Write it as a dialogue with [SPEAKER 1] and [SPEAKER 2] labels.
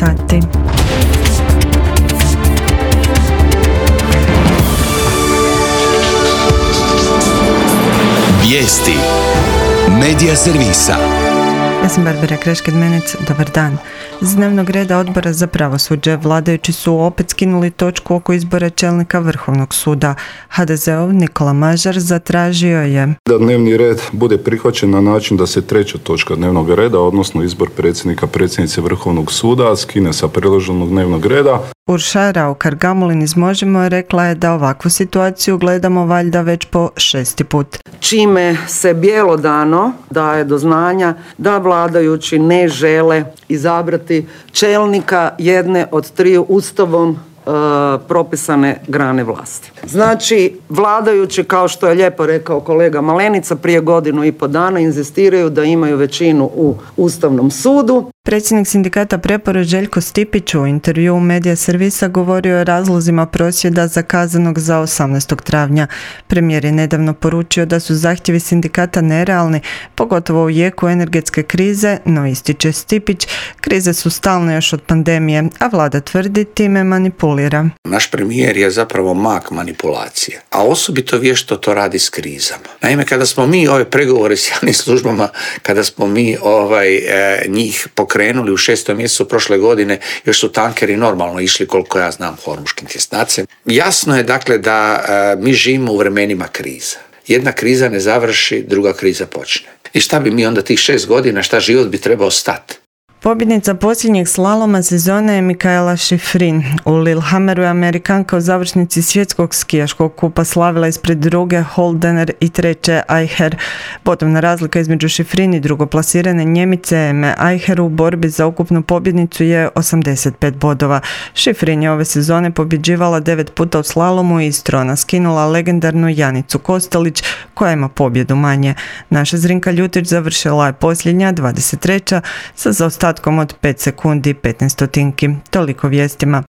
[SPEAKER 1] sati.
[SPEAKER 2] Vijesti Medija servisa.
[SPEAKER 1] Ja sam Barbara Krešked-Menec, dobar dan. Z dnevnog reda Odbora za pravosuđe vladajući su opet skinuli točku oko izbora čelnika Vrhovnog suda. HDZ-ov Nikola Mažar zatražio je
[SPEAKER 3] da dnevni red bude prihvaćen na način da se treća točka dnevnog reda, odnosno izbor predsjednice Vrhovnog suda, skine sa predloženog dnevnog reda.
[SPEAKER 1] Urša Raukar-Gamulin iz Možemo rekla je da ovakvu situaciju gledamo valjda već po 6. put.
[SPEAKER 4] Čime se bjelodano daje do znanja da vladajući ne žele izabrati čelnika jedne od triju Ustavom propisane grane vlasti. Znači, vladajući, kao što je lijepo rekao kolega Malenica, prije 1.5 dana inzistiraju da imaju većinu u Ustavnom sudu.
[SPEAKER 1] Predsjednik sindikata Prepora Željko Stipić u intervjuu Medija servisa govorio o razlozima prosvjeda zakazanog za 18. travnja. Premijer je nedavno poručio da su zahtjevi sindikata nerealni, pogotovo u jeku energetske krize, no ističe Stipić, krize su stalne još od pandemije, a vlada tvrdi time manipulira.
[SPEAKER 5] Naš premijer je zapravo mak manipulacije, a osobito vješto to radi s krizama. Naime, kada smo mi ove pregovore s javnim službama, kada smo mi njih pokrenuli u 6. mjesecu prošle godine, još su tankeri normalno išli, koliko ja znam, hormuškim tjesnacem. Jasno je dakle da mi živimo u vremenima kriza. Jedna kriza ne završi, druga kriza počne. I šta bi mi onda tih 6 godina, šta život bi trebao stati?
[SPEAKER 1] Pobjednica posljednjeg slaloma sezone je Mikaela Shiffrin. U Lillehammeru je Amerikanka u završnici svjetskog skijaškog kupa slavila ispred druge Holdener i treće Eicher. Bodovna razlika između Shiffrin i drugoplasirane Njemice Eme Eicher u borbi za ukupnu pobjednicu je 85 bodova. Shiffrin je ove sezone pobjeđivala 9 puta u slalomu i iz trona skinula legendarnu Janicu Kostelić koja ima pobjedu manje. Naša Zrinka Ljutić završila je posljednja, 23. sa zaostatkom od 5 sekundi i 15 stotinki. Toliko vijestima.